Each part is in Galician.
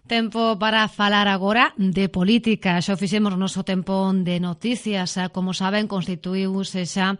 Tempo para falar agora de política. Xa fixemos o noso tempo de noticias. Como saben, constituíuse xa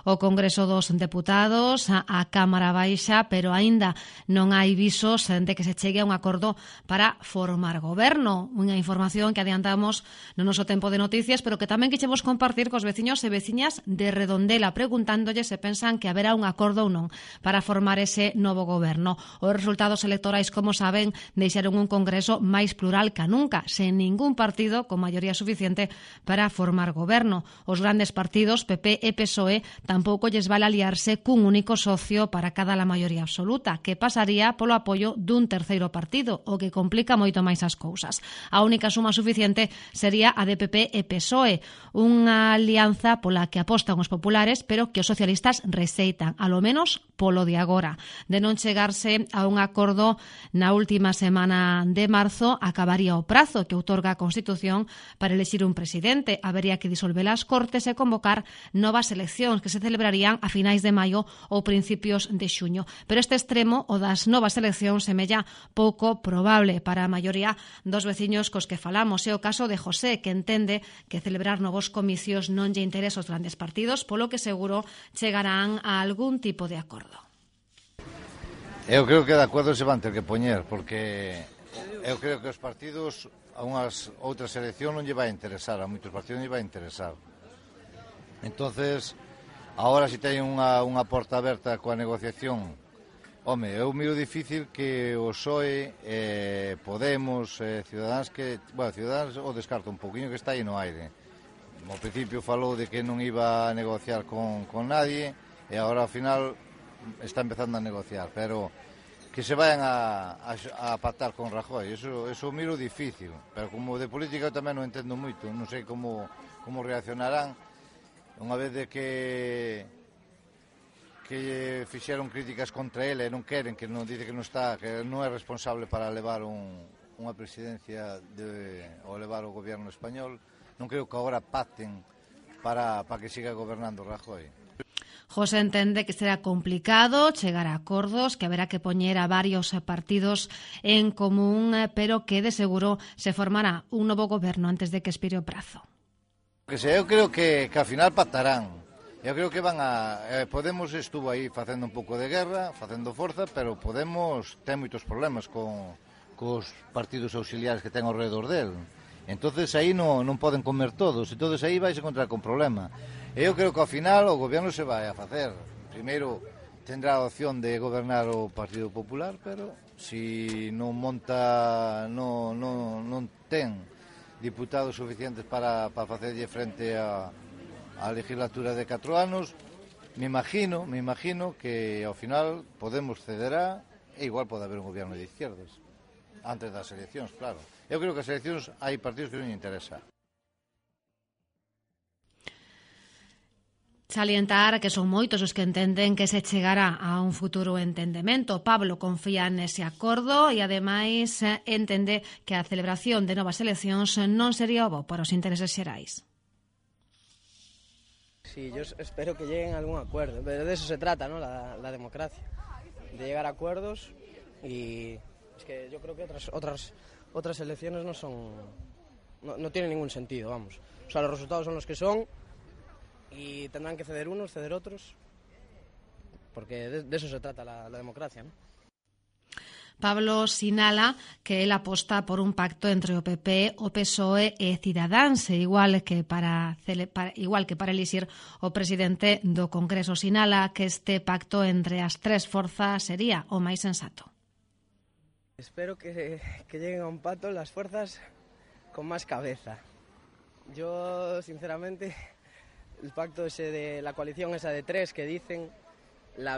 o Congreso dos Deputados, a Cámara Baixa, pero aínda non hai visos de que se chegue a un acordo para formar goberno. Unha información que adiantamos no noso tempo de noticias, pero que tamén quixemos compartir cos veciños e veciñas de Redondela, preguntándolle se pensan que haberá un acordo ou non para formar ese novo goberno. Os resultados electorais, como saben, deixaron un Congreso máis plural que nunca, sen ningún partido con maioría suficiente para formar goberno. Os grandes partidos, PP e PSOE, tampouco lles vale aliarse cun único socio para cada la maioría absoluta, que pasaría polo apoio dun terceiro partido, o que complica moito máis as cousas. A única suma suficiente sería a de PP e PSOE, unha alianza pola que apostan os populares, pero que os socialistas rexeitan, alo menos polo de agora. De non chegarse a un acordo na última semana de marzo, acabaría o prazo que outorga a Constitución para elexir un presidente. Habería que disolver as Cortes e convocar novas eleccións que se celebrarían a finais de maio ou principios de xuño. Pero este extremo, o das novas eleccións, semella pouco probable para a maioría dos veciños cos que falamos. É o caso de José, que entende que celebrar novos comicios non lle interesa aos grandes partidos, polo que seguro chegarán a algún tipo de acordo. Eu creo que de acordo se van ter que poñer, porque eu creo que os partidos a unhas outras eleccións non lle vai interesar, a moitos partidos non lle vai interesar. Entonces, agora si teñen unha porta aberta coa negociación, home, eu miro difícil que o PSOE, Podemos, Ciudadanos, Ciudadanos o descarto un poquinho que está aí no aire. Ao principio falou de que non iba a negociar con nadie e agora ao final está empezando a negociar, pero que se vayan a pactar con Rajoy, eso miro difícil, pero como de política eu tamén non entendo moito, non sei como reaccionarán unha vez de que fixeron críticas contra ele e non queren, que non dice que non está, que non é responsable para levar unha presidencia ou levar o goberno español. Non creo que agora pacten para que siga gobernando Rajoy. José entende que será complicado chegar a acordos, que haberá que poñer a varios partidos en común, pero que de seguro se formará un novo goberno antes de que expire o prazo. Eu creo que ao final pactarán. Eu creo que Podemos estuvo aí facendo un pouco de guerra, facendo forza, pero Podemos ten moitos problemas cos partidos auxiliares que ten ao redor del. Entonces aí non poden comer todos, entonces aí vais encontrar con problema. Eu creo que ao final o goberno se vai a facer. Primeiro tendrá a opción de gobernar o Partido Popular, pero si non ten diputados suficientes para facerlle frente a legislatura de 4 anos, me imagino que ao final Podemos cederá e igual pode haber un goberno de izquierdas antes das eleccións, claro. Eu creo que as eleccións hai partidos que non lle interesa. Salientar que son moitos os que entenden que se chegará a un futuro entendemento. Pablo confía nese acordo e, ademais, entende que a celebración de novas eleccións non sería bo para os intereses xerais. Sí, yo espero que lleguen a algún acuerdo, pero de eso se trata, ¿no? La democracia, de llegar a acuerdos, y es que yo creo que otras elecciones no tienen ningún sentido, vamos. O sea, los resultados son los que son y tendrán que ceder unos, ceder otros, porque de eso se trata la democracia, ¿no? Pablo sinala que el aposta por un pacto entre o PP, o PSOE e Cidadáns, igual que para elixir o presidente do Congreso. Sinala que este pacto entre as tres forzas sería o máis sensato. Espero que lleguen a un pacto las fuerzas con más cabeza. Yo, sinceramente, el pacto ese de la coalición esa de tres que dicen, la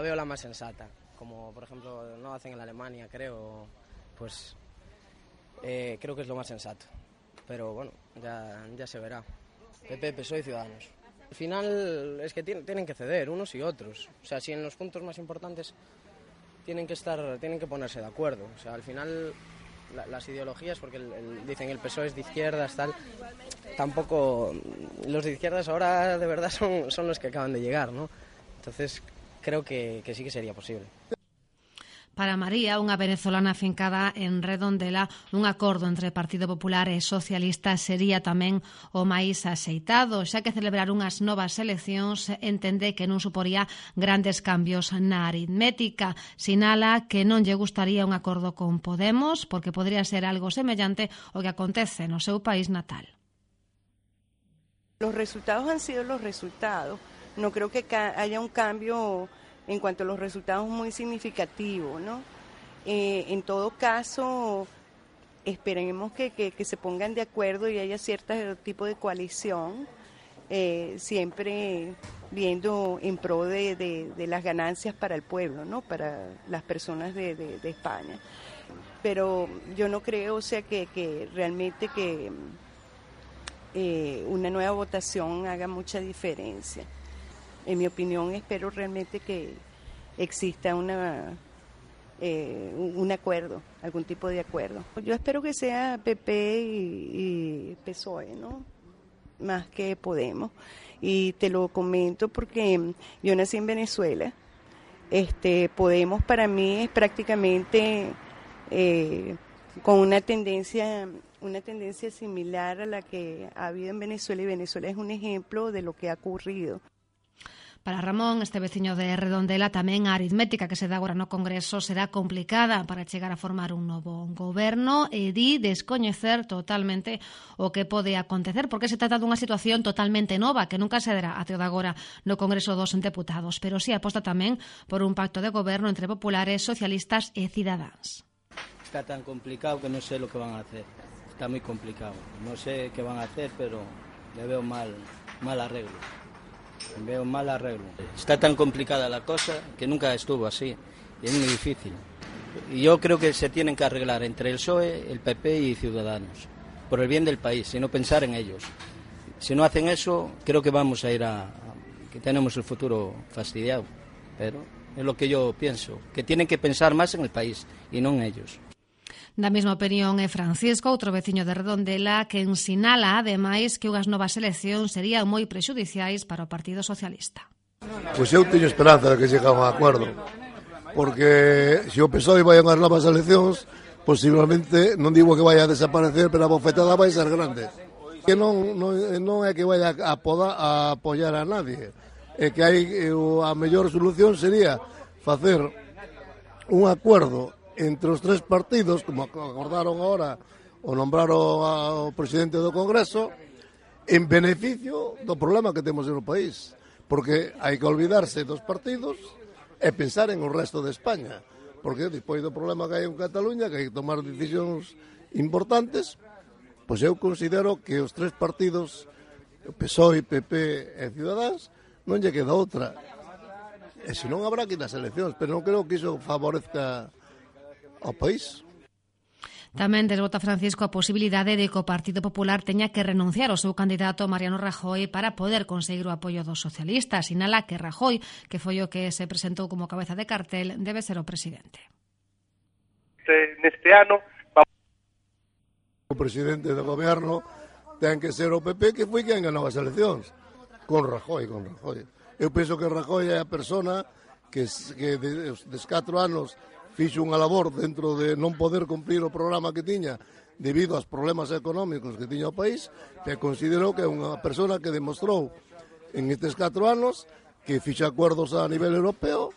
veo la más sensata. Como por ejemplo no hacen en Alemania, creo, pues creo que es lo más sensato. Pero bueno, ya se verá. PP, PSOE y Ciudadanos. Al final es que tienen que ceder unos y otros. O sea, si en los puntos más importantes tienen que ponerse de acuerdo. O sea, al final las ideologías, porque dicen el PSOE es de izquierdas, tal, tampoco los de izquierdas ahora de verdad son los que acaban de llegar, ¿no? Entonces creo que sí que sería posible. Para María, unha venezolana afincada en Redondela, un acordo entre Partido Popular e Socialista sería tamén o máis axeitado, xa que celebrar unhas novas eleccións entende que non suporía grandes cambios na aritmética. Sinala que non lle gustaría un acordo con Podemos porque podría ser algo semellante ao que acontece no seu país natal. Los resultados han sido los resultados. No creo que haya un cambio en cuanto a los resultados muy significativo, ¿no? En todo caso, esperemos que se pongan de acuerdo y haya cierto tipo de coalición, siempre viendo en pro de las ganancias para el pueblo, ¿no? Para las personas de España. Pero yo no creo, o sea, que realmente que una nueva votación haga mucha diferencia. En mi opinión, espero realmente que exista un acuerdo, algún tipo de acuerdo. Yo espero que sea PP y PSOE, ¿no? Más que Podemos. Y te lo comento porque yo nací en Venezuela. Podemos para mí es prácticamente con una tendencia similar a la que ha habido en Venezuela, y Venezuela es un ejemplo de lo que ha ocurrido. Para Ramón, este veciño de Redondela, tamén a aritmética que se dá agora no Congreso será complicada para chegar a formar un novo goberno e di descoñecer totalmente o que pode acontecer, porque se trata dunha situación totalmente nova que nunca se dará até o de agora no Congreso dos Deputados, pero si aposta tamén por un pacto de goberno entre populares, socialistas e cidadáns. Está tan complicado que no sé lo que van a hacer. Está muy complicado. No sé qué van a hacer, pero le veo mal arreglo. Veo mal arreglo. Está tan complicada la cosa que nunca estuvo así. Y es muy difícil. Y yo creo que se tienen que arreglar entre el PSOE, el PP y Ciudadanos. Por el bien del país, y no pensar en ellos. Si no hacen eso, creo que vamos a ir que tenemos el futuro fastidiado. Pero es lo que yo pienso. Que tienen que pensar más en el país y no en ellos. Da mesma opinión é Francisco, outro veciño de Redondela, que sinala, ademais, que unhas novas eleccións serían moi prexudiciais para o Partido Socialista. Pois eu teño esperanza de que chegue a un acordo, porque se o PSOE vai a unhas novas eleccións, posiblemente, non digo que vai a desaparecer, pero a bofetada vai ser grande. Que non é que vai a apoiar a nadie, é que a mellor solución sería facer un acordo entre os tres partidos, como acordaron agora o nombraron ao presidente do Congreso, en beneficio do problema que temos no país, porque hai que olvidarse dos partidos e pensar en o resto de España, porque despois do problema que hai en Cataluña, que hai que tomar decisións importantes, pois eu considero que os tres partidos, o PSOE, PP e Ciudadanos, non lle queda outra, e senón habrá que ir nas eleccións, pero non creo que iso favorezca ao país. Tamén desbota Francisco a posibilidade de que o Partido Popular teña que renunciar ao seu candidato Mariano Rajoy para poder conseguir o apoio dos socialistas. Sinala que Rajoy, que foi o que se presentou como cabeza de cartel, debe ser o presidente. Neste ano o presidente do goberno ten que ser o PP, que foi quen ganou as eleccións con Rajoy. Eu penso que Rajoy é a persona que des 4 anos fixo unha labor dentro de non poder cumprir o programa que tiña debido aos problemas económicos que tiña o país, que considerou que é unha persona que demostrou en estes 4 anos que fixe acuerdos a nivel europeo,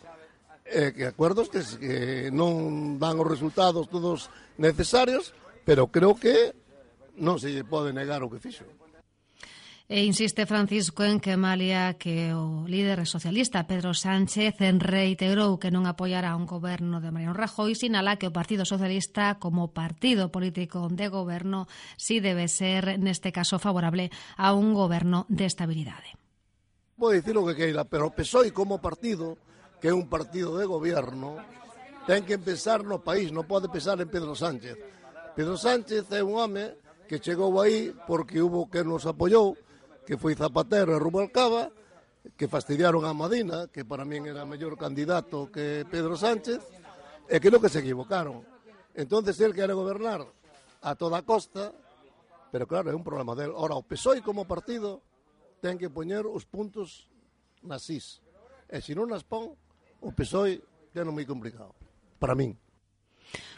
que acuerdos que non dan os resultados todos necesarios, pero creo que non se lle pode negar o que fixo. E insiste Francisco en que malia que o líder socialista Pedro Sánchez reiterou que non apoiará un goberno de Mariano Rajoy, sinala que o Partido Socialista como partido político de goberno si debe ser neste caso favorable a un goberno de estabilidade. Pode dicir o que queira, pero o PSOE como partido, que é un partido de goberno, ten que pensar no país, non pode pensar en Pedro Sánchez. Pedro Sánchez é un home que chegou aí porque hubo que nos apoiou, que foi Zapatero e Rubalcaba, que fastidiaron a Madina, que para min era mellor candidato que Pedro Sánchez, e creo que se equivocaron. Entonces el quere gobernar a toda costa, pero claro, é un problema del. Ora, o PSOE como partido ten que poñer os puntos nas is. E se non nas pon, o PSOE ten moi complicado. para min.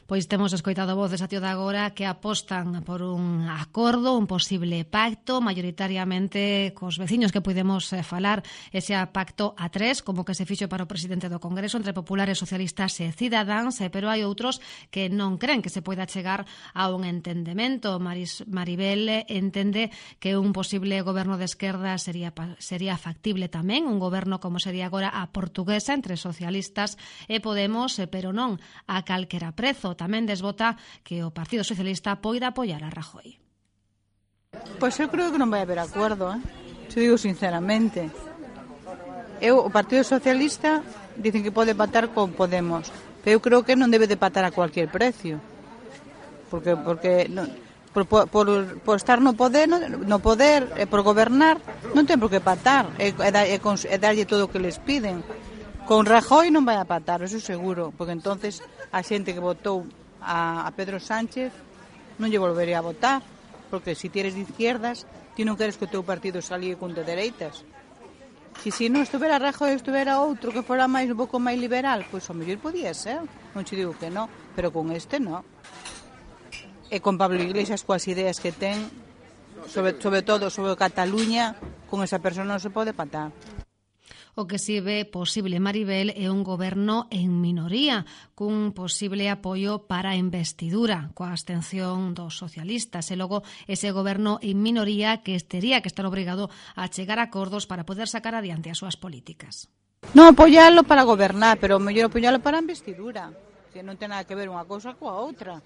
Pois temos escoitado voces a tío de agora que apostan por un acordo, un posible pacto, maioritariamente cos veciños que podemos falar, ese pacto a tres, como que se fixo para o presidente do Congreso entre populares, socialistas e cidadáns, pero hai outros que non creen que se poida chegar a un entendemento. Maribel entende que un posible goberno de esquerda sería factible tamén, un goberno como sería agora a portuguesa entre socialistas e Podemos, pero non a calquera prezo. Tamén desbota que o Partido Socialista poida apoiar a Rajoy. Pois eu creo que non vai haber acordo, te digo sinceramente. O Partido Socialista dicen que pode pactar con Podemos, pero eu creo que non debe de pactar a cualquier precio. Porque non, por estar no poder e por gobernar non ten por que pactar e darlle todo o que les piden. Con Rajoy non vai a pactar, eso seguro, porque entonces a xente que votou a Pedro Sánchez non lle volvería a votar, porque se ti eres de izquierdas, ti non queres que o teu partido salíe con de dereitas. Se non estuvera Rajoy, estuvera outro que fora un pouco máis liberal, pois ao mellor podía ser, non te digo que non, pero con este non. E con Pablo Iglesias coas ideas que ten, sobre todo sobre Cataluña, con esa persona non se pode pactar. O que si ve posible, Maribel, é un goberno en minoría, cun posible apoio para a investidura, coa abstención dos socialistas, e logo ese goberno en minoría que tería que estar obrigado a chegar a acordos para poder sacar adiante as súas políticas. Non apoialo para gobernar, pero mellor apoialo para a investidura, que non ten nada que ver unha cousa coa outra.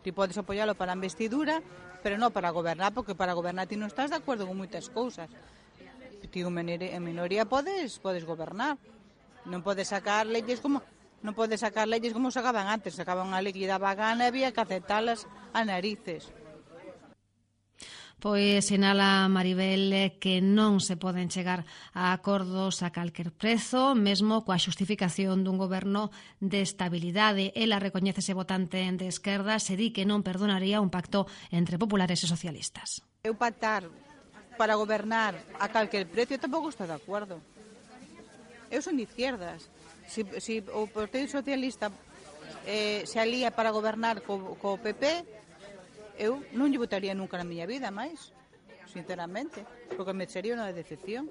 Ti podes apoialo para a investidura, pero non para gobernar, porque para gobernar ti non estás de acordo con moitas cousas. Ti en minoría podes gobernar. Non podes sacar leyes como sacaban antes, sacaban unha lei que daba gana e había que aceptalas a narices. Pois sinala Maribel que non se poden chegar a acordos a calquer prezo, mesmo coa xustificación dun goberno de estabilidade. Ela recoñece ese votante de esquerda, se di que non perdonaría un pacto entre populares e socialistas. Eu pactar para gobernar a calquer precio tampouco está de acordo. Eu son de izquierdas. Se o Partido Socialista se alía para gobernar co PP, eu non lle votaría nunca na miña vida máis, sinceramente, porque me sería unha decepción.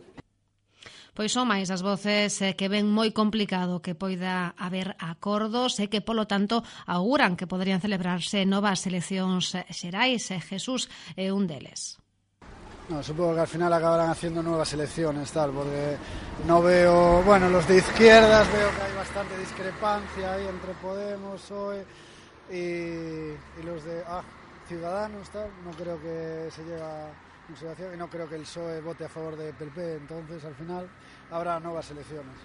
Pois son máis as voces que ven moi complicado que poida haber acordos e que, polo tanto, auguran que poderían celebrarse novas eleccións xerais. Jesús é un deles. No, supongo que al final acabarán haciendo nuevas elecciones, tal, porque no veo, bueno, los de izquierdas veo que hay bastante discrepancia ahí entre Podemos, PSOE y los de Ciudadanos, tal. No creo que se llegue a consideración y no creo que el PSOE vote a favor de PP, entonces al final habrá nuevas elecciones.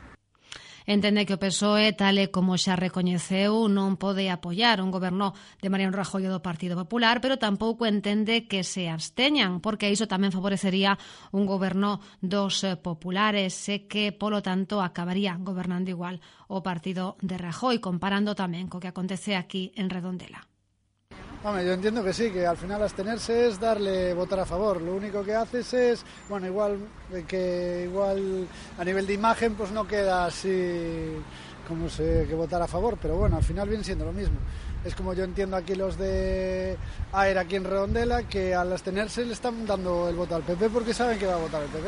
Entende que o PSOE, tal e como xa recoñeceu, non pode apoiar un goberno de Mariano Rajoy do Partido Popular, pero tampouco entende que se absteñan, porque iso tamén favorecería un goberno dos populares e que, polo tanto, acabaría gobernando igual o partido de Rajoy, comparando tamén co que acontece aquí en Redondela. Hombre, yo entiendo que sí, que al final abstenerse es darle votar a favor. Lo único que haces es, bueno, igual a nivel de imagen pues no queda así como que votar a favor, pero bueno, al final viene siendo lo mismo. Es como yo entiendo aquí los de AER aquí en Redondela, que al abstenerse le están dando el voto al PP porque saben que va a votar el PP.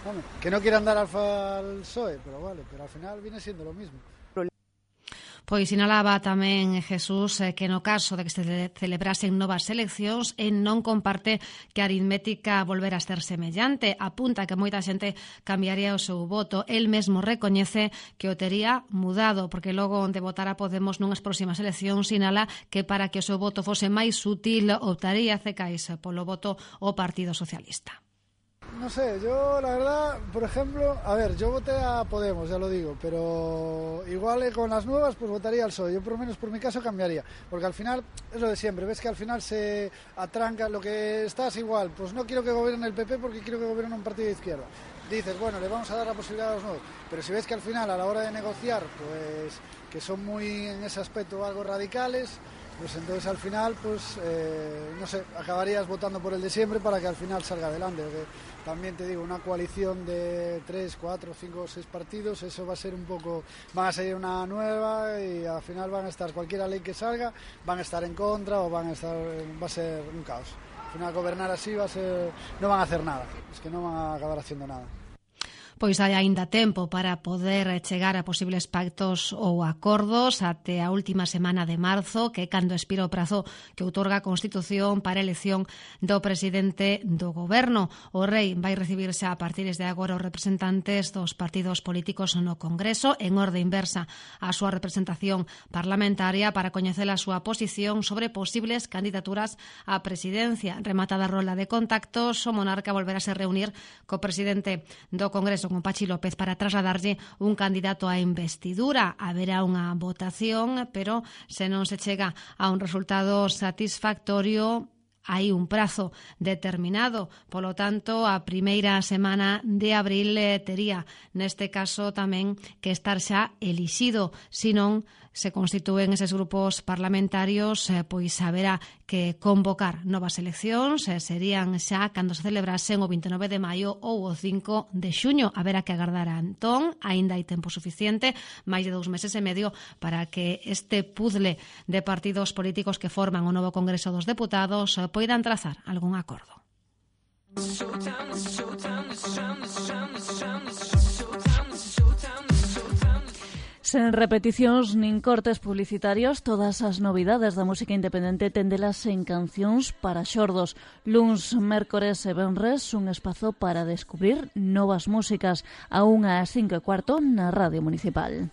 Bueno, que no quieran dar al PSOE, pero vale, pero al final viene siendo lo mismo. Pois sinalaba tamén Jesús que no caso de que se celebrasen novas eleccións non comparte que a aritmética volver a ser semellante. Apunta que moita xente cambiaría o seu voto. El mesmo recoñece que o tería mudado, porque logo onde votara Podemos nunhas próximas eleccións sinala que para que o seu voto fose máis útil optaría cecais polo voto ao Partido Socialista. No sé, yo la verdad, por ejemplo, a ver, yo voté a Podemos, ya lo digo, pero igual con las nuevas pues votaría al PSOE. Yo por lo menos por mi caso cambiaría, porque al final es lo de siempre, ves que al final se atranca lo que estás igual, pues no quiero que gobierne el PP porque quiero que gobierne un partido de izquierda. Dices, bueno, le vamos a dar la posibilidad a los nuevos, pero si ves que al final a la hora de negociar, pues que son muy en ese aspecto algo radicales, Pues entonces al final, pues no sé, acabarías votando por el de siempre para que al final salga adelante. Porque también te digo, una coalición de 3, 4, 5, 6 partidos, eso va a ser un poco, van a salir una nueva y al final van a estar, cualquier ley que salga, van a estar en contra o va a ser un caos. Al final gobernar así no van a hacer nada, es que no van a acabar haciendo nada. Pois hai aínda tempo para poder chegar a posibles pactos ou acordos até a última semana de marzo, que é cando expira o prazo que outorga a Constitución para a elección do presidente do goberno. O rei vai recibirse a partir de agora os representantes dos partidos políticos no Congreso en orde inversa á súa representación parlamentaria para coñecer a súa posición sobre posibles candidaturas á presidencia. Rematada a rolda de contactos, o monarca volverá a se reunir co presidente do Congreso, con Pachi López, para trasladarlle un candidato á investidura. Haberá unha votación, pero se non se chega a un resultado satisfactorio, hai un prazo determinado. Polo tanto, a primeira semana de abril tería, neste caso, tamén que estar xa elixido. Se non se constitúen eses grupos parlamentarios, pois haberá que convocar novas eleccións, serían xa cando se celebrasen o 29 de maio ou o 5 de xuño. Haberá que agardar a entón, aínda hai tempo suficiente, máis de 2 meses e medio, para que este puzzle de partidos políticos que forman o novo Congreso dos Deputados poidan trazar algún acordo. Sen repeticións nin cortes publicitarios, todas as novidades da música independente tendelas en Cancións para Xordos. Luns, mércores e venres, un espazo para descubrir novas músicas, a 1:05 na Radio Municipal.